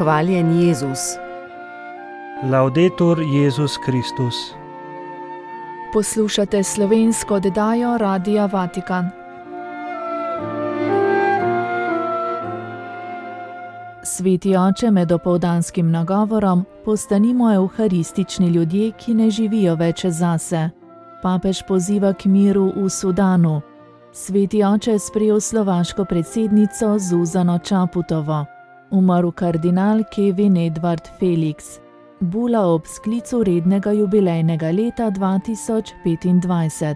Hvaljen Jezus. Laudetur Jezus Kristus. Poslušate slovensko oddajo Radia Vatikan. Sveti oče, med opoldanskim nagovorom postanimo evharistični ljudje, ki ne živijo več zase. Papež poziva k miru v Sudanu. Sveti oče je sprejel slovaško predsednico Zuzano Čaputovo. Umrl kardinal Kevin Edward Felix. Bula ob sklicu rednega jubilejnega leta 2025.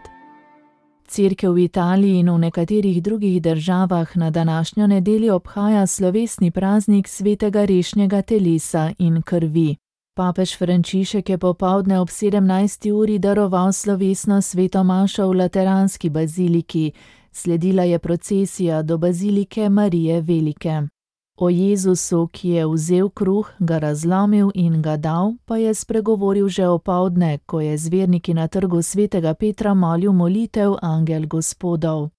Cerkev v Italiji in v nekaterih drugih državah na današnjo nedeljo obhaja slovesni praznik svetega rešnjega telesa in krvi. Papež Frančišek je popoldne ob 17. uri daroval slovesno sveto mašo v Lateranski baziliki. Sledila je procesija do bazilike Marije Velike. O Jezusu, ki je vzel kruh, ga razlomil in ga dal, pa je spregovoril že opoldne, ko je z verniki na trgu svetega Petra molil molitev Angel Gospodov.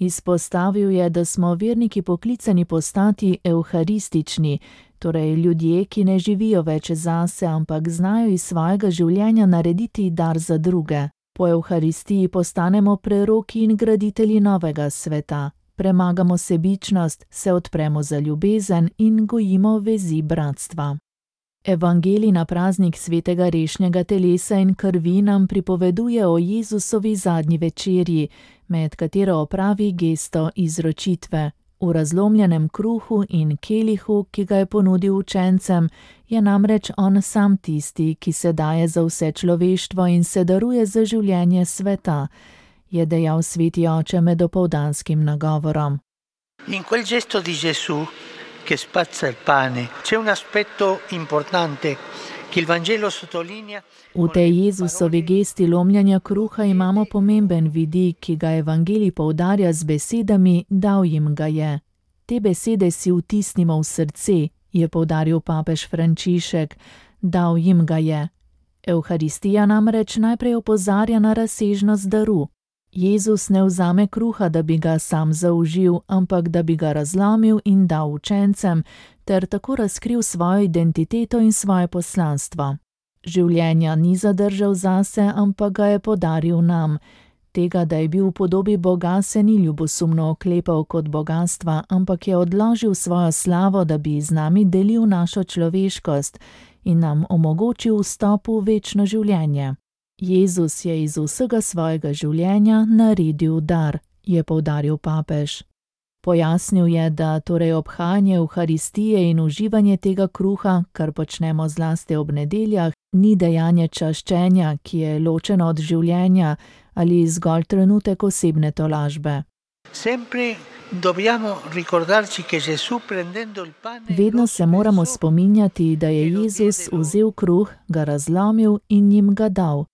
Izpostavil je, da smo verniki poklicani postati evharistični, torej ljudje, ki ne živijo več zase, ampak znajo iz svojega življenja narediti dar za druge. Po evharistiji postanemo preroki in graditelji novega sveta. Premagamo sebičnost, se odpremo za ljubezen in gojimo vezi bratstva. Evangelij na praznik svetega rešnjega telesa in krvi nam pripoveduje o Jezusovi zadnji večerji, med katero opravi gesto izročitve. V razlomljenem kruhu in kelihu, ki ga je ponudil učencem, je namreč on sam tisti, ki se daje za vse človeštvo in se daruje za življenje sveta, je dejal sveti oče med opoldanskim nagovorom. In quel gesto di Gesù che spazza il pane c'è un aspetto importante che il Vangelo sottolinea. V tej Jezusovi gesti lomljanja kruha imamo pomemben vidik, ki ga Evangelij poudarja z besedami dal jim ga je. Te besede si vtisnimo v srce, je poudaril papež Frančišek, dal jim ga je. Evharistija namreč najprej opozarja na razsežnost daru. Jezus ne vzame kruha, da bi ga sam zaužil, ampak da bi ga razlomil in dal učencem, ter tako razkril svojo identiteto in svoje poslanstvo. Življenja ni zadržal zase, ampak ga je podaril nam. Tega, da je bil v podobi Boga, se ni ljubosumno oklepal kot bogastva, ampak je odložil svojo slavo, da bi z nami delil našo človeškost in nam omogočil vstop v večno življenje. Jezus je iz vsega svojega življenja naredil dar, je poudaril papež. Pojasnil je, da torej obhajanje evharistije in uživanje tega kruha, kar počnemo zlasti ob nedeljah, ni dejanje čaščenja, ki je ločeno od življenja ali zgolj trenutek osebne tolažbe. Vedno se moramo spominjati, da je Jezus vzel kruh, ga razlomil in jim ga dal.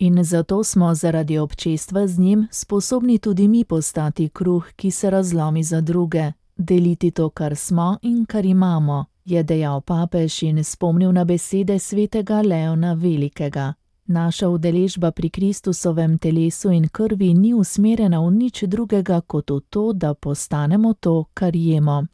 In zato smo zaradi občestva z njim sposobni tudi mi postati kruh, ki se razlomi za druge, deliti to, kar smo in kar imamo, je dejal papež in spomnil na besede svetega Leona Velikega. Naša udeležba pri Kristusovem telesu in krvi ni usmerjena v nič drugega kot v to, da postanemo to, kar jemo.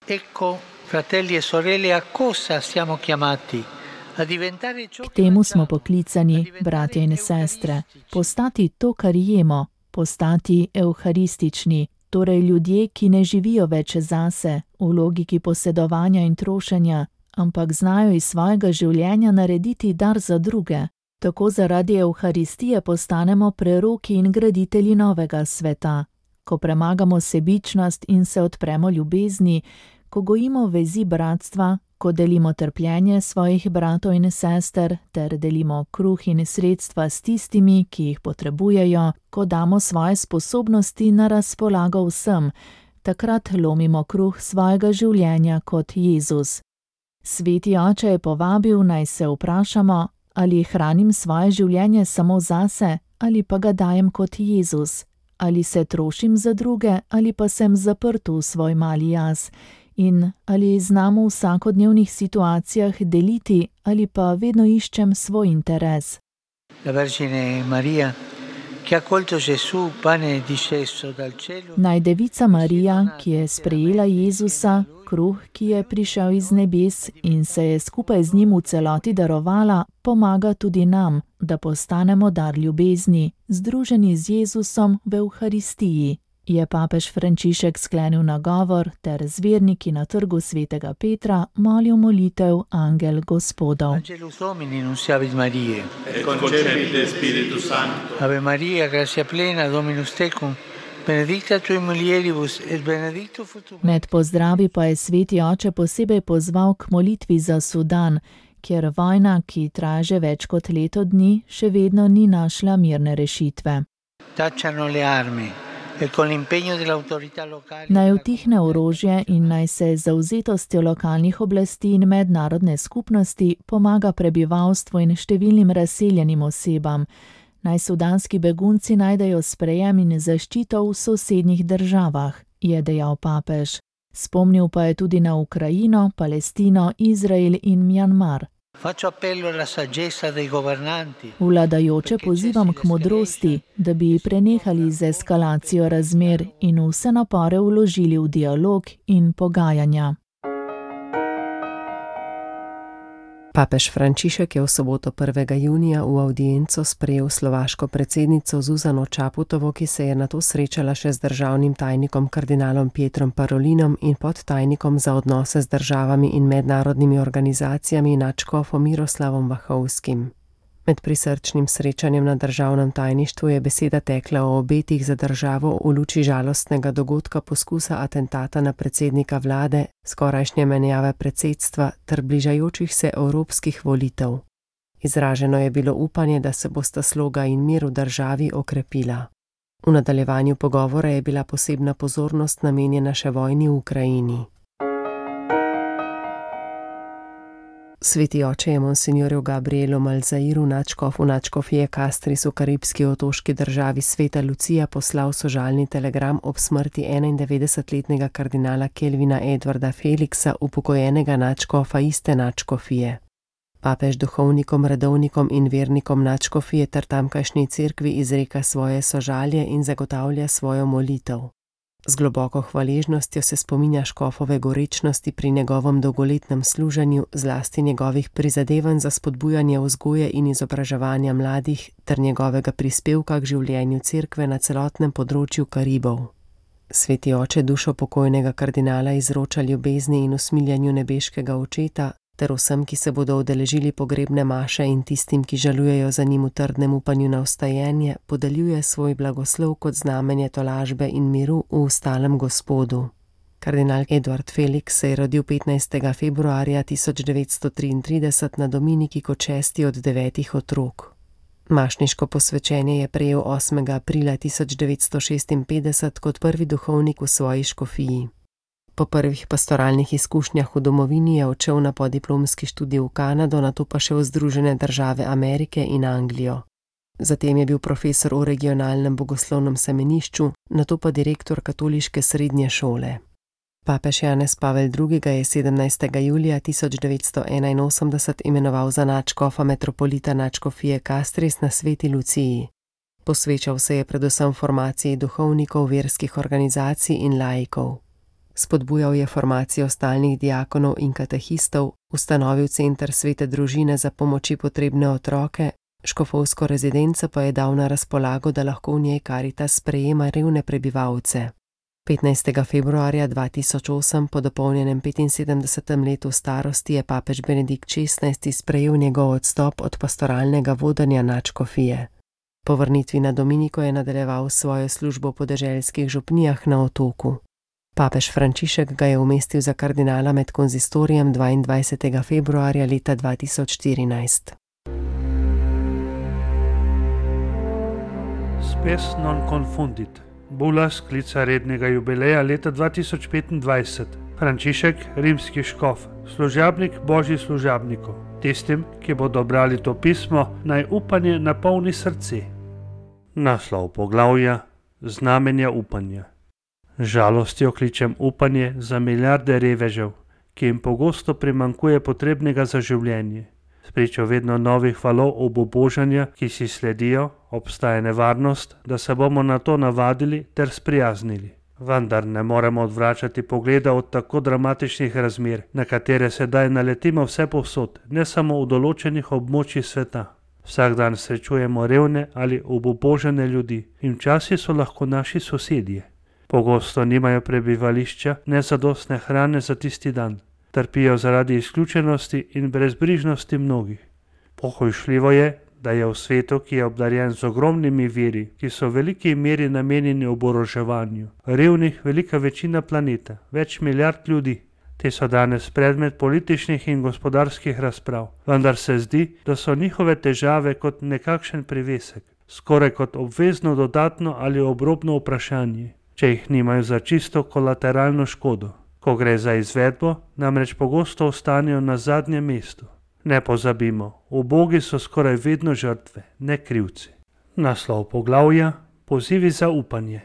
Ecco, fratelli e sorelle, a cosa siamo chiamati? K temu smo poklicani, bratje in sestre, postati to, kar jemo, postati evharistični, torej ljudje, ki ne živijo več zase, v logiki posedovanja in trošenja, ampak znajo iz svojega življenja narediti dar za druge. Tako zaradi evharistije postanemo preroki in graditelji novega sveta. Ko premagamo sebičnost in se odpremo ljubezni, ko gojimo vezi bratstva, ko delimo trpljenje svojih bratov in sester, ter delimo kruh in sredstva s tistimi, ki jih potrebujejo, ko damo svoje sposobnosti na razpolago vsem, takrat lomimo kruh svojega življenja kot Jezus. Sveti oče je povabil, naj se vprašamo, ali hranim svoje življenje samo zase, ali pa ga dajem kot Jezus, ali se trošim za druge, ali pa sem zaprt v svoj mali jaz, in ali znam v vsakodnevnih situacijah deliti, ali pa vedno iščem svoj interes. La Vergine Maria, che ha accolto Gesù, pane disceso dal cielo. Naj Devica Marija, ki je sprejela Jezusa, kruh, ki je prišel iz nebes in se je skupaj z njim v celoti darovala, pomaga tudi nam, da postanemo dar ljubezni, združeni z Jezusom v Evharistiji, je papež Frančišek sklenil nagovor ter z verniki na trgu svetega Petra molil molitev Angel Gospodov. Angelus Domini nunciavit Mariae. Et concepit Spiritus Sancto. Ave Maria, gratia plena, Dominus tecum, benedicta tui mulieribus et benedictus fructus. Med pozdravi pa je sveti oče posebej pozval k molitvi za Sudan, kjer vojna, ki traja že več kot leto dni, še vedno ni našla mirne rešitve. Tacciano le armi e con l'impegno dell'autorità locale. Naj utihne orožje in naj se z zavzetostjo lokalnih oblasti in mednarodne skupnosti pomaga prebivalstvu in številnim razseljenim osebam. Naj sudanski begunci najdejo sprejem in zaščito v sosednjih državah, je dejal papež. Spomnil pa je tudi na Ukrajino, Palestino, Izrael in Mjanmar. Faccio appello alla saggezza dei governanti. Vladajoče pozivam k modrosti, da bi prenehali z eskalacijo razmer in vse napore vložili v dialog in pogajanja. Papež Frančišek je v soboto 1. junija v avdienco sprejel slovaško predsednico Zuzano Čaputovo, ki se je nato srečala še z državnim tajnikom kardinalom Pietrom Parolinom in podtajnikom za odnose z državami in mednarodnimi organizacijami nadškofom Miroslavom Vahovskim. Med prisrčnim srečanjem na državnem tajništvu je beseda tekla o obetih za državo v luči žalostnega dogodka poskusa atentata na predsednika vlade, skorajšnje menjave predsedstva ter bližajočih se evropskih volitev. Izraženo je bilo upanje, da se bosta sloga in mir v državi okrepila. V nadaljevanju pogovora je bila posebna pozornost namenjena še vojni v Ukrajini. Sveti oče je monsinjorju Gabrielu Malzairu, nadškofu nadškofije Castris v karibski otoški državi Sveta Lucija, poslal sožalni telegram ob smrti 91-letnega kardinala Kelvina Edwarda Felixa, upokojenega nadškofa iste nadškofije. Papež duhovnikom, redovnikom in vernikom nadškofije ter tamkajšnji cerkvi izreka svoje sožalje in zagotavlja svojo molitev. Z globoko hvaležnostjo se spominja škofove gorečnosti pri njegovem dolgoletnem služenju, zlasti njegovih prizadevanj za spodbujanje vzgoje in izobraževanja mladih ter njegovega prispevka k življenju cerkve na celotnem področju Karibov. Sveti oče dušo pokojnega kardinala izroča ljubezni in usmiljanju nebeškega očeta ter vsem, ki se bodo udeležili pogrebne maše in tistim, ki žalujejo za njim v trdnem upanju na vstajenje, podeljuje svoj blagoslov kot znamenje tolažbe in miru v ustalem Gospodu. Kardinal Edward Felix se je rodil 15. februarja 1933 na Dominiki kot 6. od 9 otrok. Mašniško posvečenje je prejel 8. aprila 1956 kot prvi duhovnik v svoji škofiji. Po prvih pastoralnih izkušnjah v domovini je odšel na podiplomski študij v Kanado, nato pa še v Združene države Amerike in Anglijo. Zatem je bil profesor v regionalnem bogoslovnem semenišču, nato pa direktor katoliške srednje šole. Papež Janez Pavel II. Je 17. julija 1981 imenoval za nadškofa metropolita nadškofije Castris na Sveti Luciji. Posvečal se je predvsem formaciji duhovnikov, verskih organizacij in laikov. Spodbujal je formacijo stalnih diakonov in katehistov, ustanovil center Svete družine za pomoči potrebne otroke, škofovsko rezidenco pa je dal na razpolago, da lahko v njej Karitas sprejema revne prebivalce. 15. februarja 2008, po dopolnjenem 75. letu starosti, je papež Benedikt XVI. Sprejel njegov odstop od pastoralnega vodenja nadškofije. Po vrnitvi na Dominiko je nadaljeval svojo službo v podeželskih župnijah na otoku. Papež Frančišek ga je umestil za kardinala med konzistorijem 22. februarja leta 2014. Spes non confundit. Bula sklica rednega jubileja leta 2025. Frančišek, rimski škof, služabnik božjih služabnikov. Tistim, ki bodo brali to pismo, naj upanje napolni srce. Naslov poglavja: Znamenja upanja. Žalostjo kličem upanje za milijarde revežev, ki jim pogosto primanjkuje potrebnega za življenje. Spričo vedno novih valov obubožanja, ki si sledijo, obstaja nevarnost, da se bomo na to navadili ter sprijaznili. Vendar ne moremo odvračati pogleda od tako dramatičnih razmer, na katere sedaj naletimo vse povsod, ne samo v določenih območjih sveta. Vsak dan srečujemo revne ali obubožane ljudi in včasih so lahko naši sosedje. Pogosto nimajo prebivališča, nezadostne hrane za tisti dan. Trpijo zaradi izključenosti in brezbrižnosti mnogih. Pohujšljivo je, da je v svetu, ki je obdarjen z ogromnimi viri, ki so v veliki meri namenjeni oboroževanju, revnih velika večina planeta, več milijard ljudi. Te so danes predmet političnih in gospodarskih razprav, vendar se zdi, da so njihove težave kot nekakšen privesek, skoraj kot obvezno dodatno ali obrobno vprašanje, če jih nimajo za čisto kolateralno škodo. Ko gre za izvedbo, namreč pogosto ostanejo na zadnjem mestu. Ne pozabimo, ubogi so skoraj vedno žrtve, ne krivci. Naslov poglavja: Pozivi za upanje.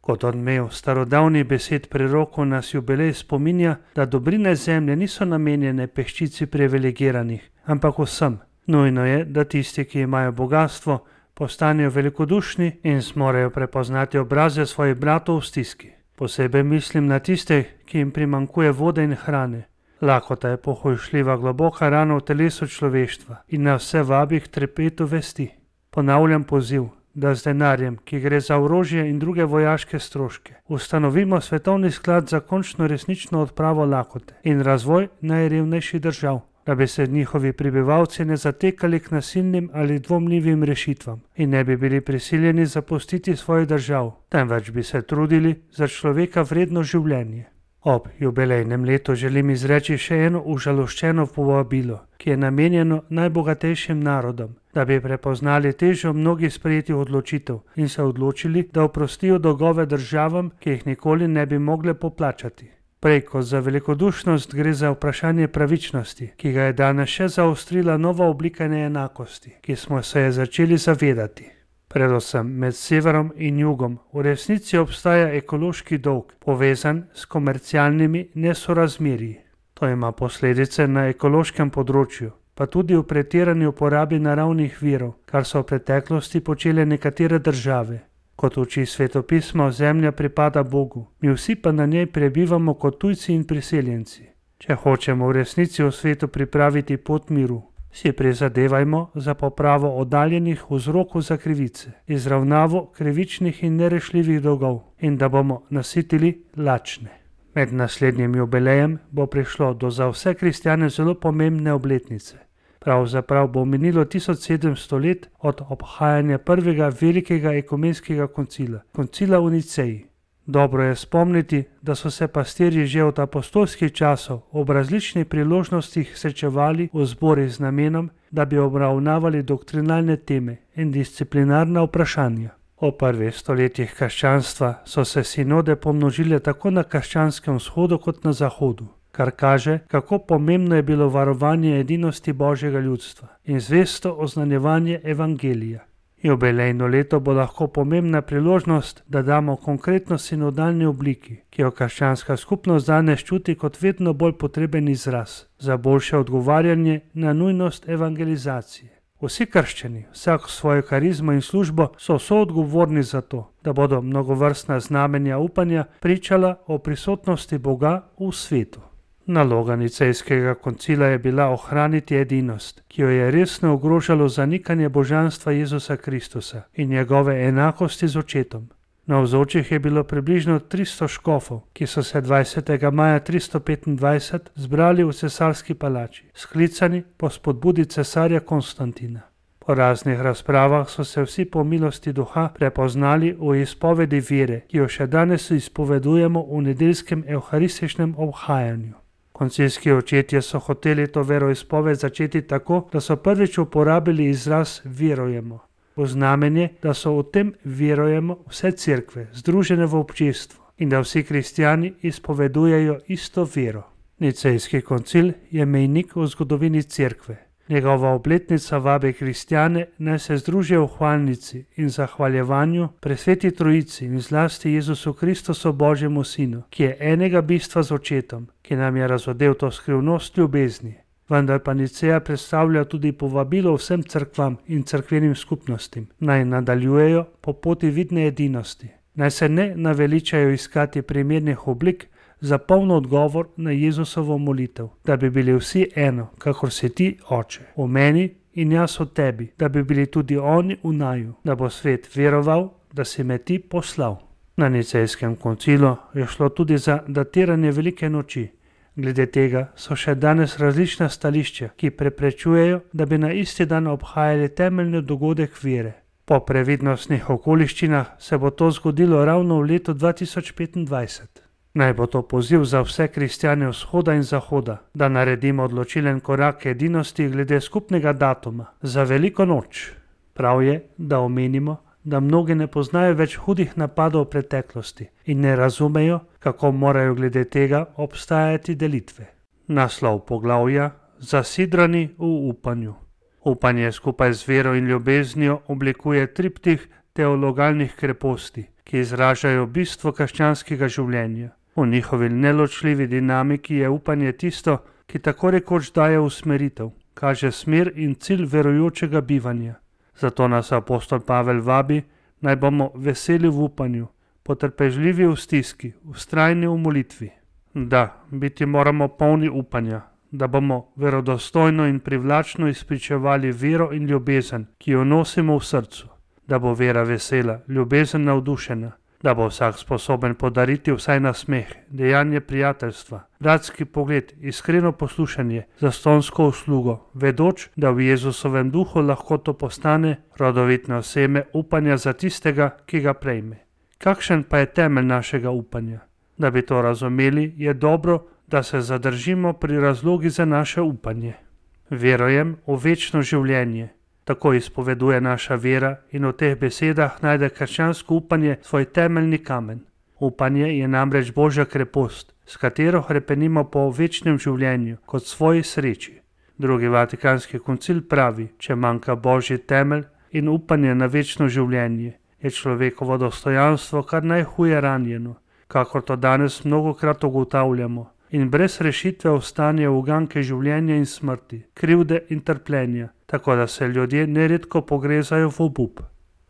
Kot odmev starodavnih besed prerokov nas jubilej spominja, da dobrine zemlje niso namenjene peščici privilegiranih, ampak vsem. Nujno je, da tisti, ki imajo bogastvo, postanejo velikodušni in zmorejo prepoznati obraze svojih bratov v stiski. Posebej mislim na tiste, ki jim primanjkuje vode in hrane. Lakota je pohujšljiva globoka rana v telesu človeštva in nas vse vabi k trepetu vesti. Ponavljam poziv, da z denarjem, ki gre za orožje in druge vojaške stroške, ustanovimo svetovni sklad za končno resnično odpravo lakote in razvoj najrevnejših držav, da bi se njihovi prebivalci ne zatekali k nasilnim ali dvomljivim rešitvam in ne bi bili prisiljeni zapustiti svojih držav, temveč bi se trudili za človeka vredno življenje. Ob jubilejnem letu želim izreči še eno užaloščeno povabilo, ki je namenjeno najbogatejšim narodom, da bi prepoznali težo mnogih sprejetih odločitev in se odločili, da oprostijo dolgove državam, ki jih nikoli ne bi mogle poplačati. Prej kot za velikodušnost gre za vprašanje pravičnosti, ki ga je danes še zaostrila nova oblika neenakosti, ki smo se je začeli zavedati. Predvsem med severom in jugom v resnici obstaja ekološki dolg, povezan s komercialnimi nesorazmerji. To ima posledice na ekološkem področju, pa tudi v pretirani uporabi naravnih virov, kar so v preteklosti počele nekatere države. Kot uči svetopismo, zemlja pripada Bogu, mi vsi pa na njej prebivamo kot tujci in priseljenci. Če hočemo v resnici v svetu pripraviti pot miru, si prizadevajmo za popravo oddaljenih vzrokov za krivice, izravnavo krivičnih in nerešljivih dolgov in da bomo nasitili lačne. Med naslednjim jubilejem bo prišlo do za vse kristjane zelo pomembne obletnice. Pravzaprav bo minilo 1700 let od obhajanja prvega velikega ekumenskega koncila, koncila v Niceji. Dobro je spomniti, da so se pastirji že od apostolskih časov ob različnih priložnostih srečevali v zborih z namenom, da bi obravnavali doktrinalne teme in disciplinarna vprašanja. V prvih stoletjih krščanstva so se sinode pomnožile tako na krščanskem vzhodu kot na zahodu, kar kaže, kako pomembno je bilo varovanje edinosti Božjega ljudstva in zvesto oznanjevanje evangelija. Jubilejno leto bo lahko pomembna priložnost, da damo konkretno sinodalni obliki, ki jo krščanska skupnost danes čuti kot vedno bolj potreben izraz za boljše odgovarjanje na nujnost evangelizacije. Vsi krščani, vsak svojo karizmo in službo, so soodgovorni za to, da bodo mnogovrstna znamenja upanja pričala o prisotnosti Boga v svetu. Naloga Nicejskega koncila je bila ohraniti edinost, ki jo je resno ogrožalo zanikanje božanstva Jezusa Kristusa in njegove enakosti z očetom. Navzočih je bilo približno 300 škofov, ki so se 20. maja 325 zbrali v cesarski palači, sklicani po spodbudi cesarja Konstantina. Po raznih razpravah so se vsi po milosti duha prepoznali v izpovedi vere, ki jo še danes izpovedujemo v nedeljskem evharističnem obhajanju. Koncilski očetje so hoteli to veroizpoved začeti tako, da so prvič uporabili izraz verujemo, v znamenje, da so v tem verujemo vse cerkve, združene v občestvo in da vsi kristjani izpovedujejo isto vero. Nicejski koncil je mejnik v zgodovini cerkve. Njegova obletnica vabi kristjane, naj se združijo v hvalnici in zahvaljevanju presveti Trojici in zlasti Jezusu Kristusu Božjemu Sinu, ki je enega bistva z očetom, ki nam je razodel to skrivnost ljubezni. Vendar pa Niceja predstavlja tudi povabilo vsem cerkvam in cerkvenim skupnostim, naj nadaljujejo po poti vidne edinosti. Naj se ne naveličajo iskati primernih oblik za poln odgovor na Jezusovo molitev, da bi bili vsi eno, kakor si ti, Oče, v meni in jaz v tebi, da bi bili tudi oni v naju, da bo svet veroval, da si me ti poslal. Na Nicejskem koncilu je šlo tudi za datiranje velike noči. Glede tega so še danes različna stališča, ki preprečujejo, da bi na isti dan obhajali temeljni dogodek vere. Po previdnostnih okoliščinah se bo to zgodilo ravno v letu 2025. Naj bo to poziv za vse kristjane vzhoda in zahoda, da naredimo odločilen korak k edinosti glede skupnega datuma za veliko noč. Prav je, da omenimo, da mnogi ne poznajo več hudih napadov v preteklosti in ne razumejo, kako morajo glede tega obstajati delitve. Naslov poglavja: Zasidrani v upanju. Upanje skupaj z vero in ljubeznijo oblikuje triptih teologalnih kreposti, ki izražajo bistvo krščanskega življenja. V njihovi neločljivi dinamiki je upanje tisto, ki tako rekoč daje usmeritev, kaže smer in cilj verujočega bivanja. Zato nas apostol Pavel vabi, naj bomo veseli v upanju, potrpežljivi v stiski, vztrajni v molitvi. Da, biti moramo polni upanja, da bomo verodostojno in privlačno izpričevali vero in ljubezen, ki jo nosimo v srcu, da bo vera vesela, ljubezen navdušena, da bo vsak sposoben podariti vsaj nasmeh, dejanje prijateljstva, bratski pogled, iskreno poslušanje, zastonjsko uslugo, vedoč, da v Jezusovem duhu lahko to postane rodovitno seme upanja za tistega, ki ga prejme. Kakšen pa je temelj našega upanja? Da bi to razumeli, je dobro, da se zadržimo pri razlogi za naše upanje. Verujem v večno življenje. Tako izpoveduje naša vera in v teh besedah najde krščansko upanje svoj temeljni kamen. Upanje je namreč Božja krepost, s katero hrepenimo po večnem življenju kot svoji sreči. Drugi Vatikanski koncil pravi, če manjka Božji temelj in upanje na večno življenje, je človekovo dostojanstvo kar najhuje ranjeno, kakor to danes mnogokrat ugotavljamo, in brez rešitve ostane uganke življenja in smrti, krivde in trpljenja, tako da se ljudje neredko pogrezajo v obup.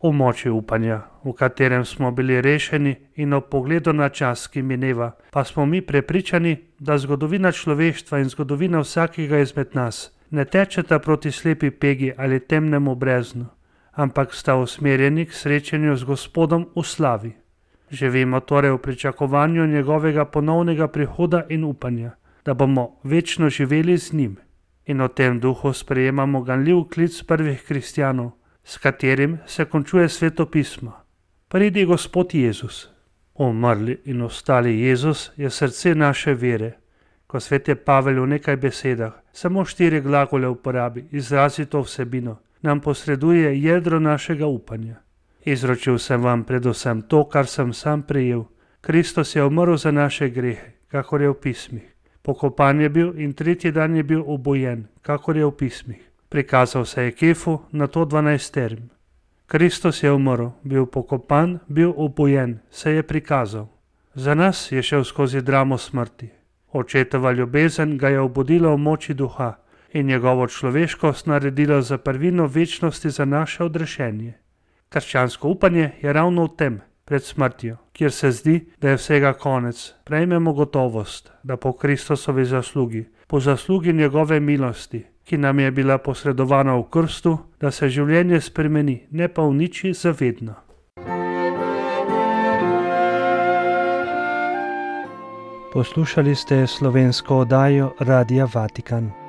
V moči upanja, v katerem smo bili rešeni in ob pogledu na čas, ki mineva, pa smo mi prepričani, da zgodovina človeštva in zgodovina vsakega izmed nas ne tečeta proti slepi pegi ali temnemu breznu, ampak sta usmerjeni k srečanju z Gospodom v slavi. Živimo torej v pričakovanju njegovega ponovnega prihoda in upanja, da bomo večno živeli z njim. In v tem duhu sprejemamo ganljiv klic prvih kristjanov, s katerim se končuje Sveto pismo. Pridi Gospod Jezus. Umrli in ostali Jezus je srce naše vere. Ko sveti Pavel v nekaj besedah, samo 4 glagole uporabi, izrazi to vsebino, nam posreduje jedro našega upanja. Izročil sem vam predvsem to, kar sem sam prejel. Kristus je umrl za naše grehe, kakor je v pismih. Pokopan je bil in 3. dan je bil obojen, kakor je v pismih. Prikazal se je Kefu, nato 12. Kristus je umrl, bil pokopan, bil obojen, se je prikazal. Za nas je šel skozi dramo smrti. Očetova ljubezen ga je obudila v moči duha in njegovo človeškost naredila za prvino večnosti za naše odrešenje. Krščansko upanje je ravno v tem, pred smrtjo, kjer se zdi, da je vsega konec, prejmemo gotovost, da po Kristusovi zaslugi, po zaslugi njegove milosti, ki nam je bila posredovana v krstu, da se življenje spremeni, ne pa uniči zavedno. Poslušali ste slovensko oddajo Radia Vatikan.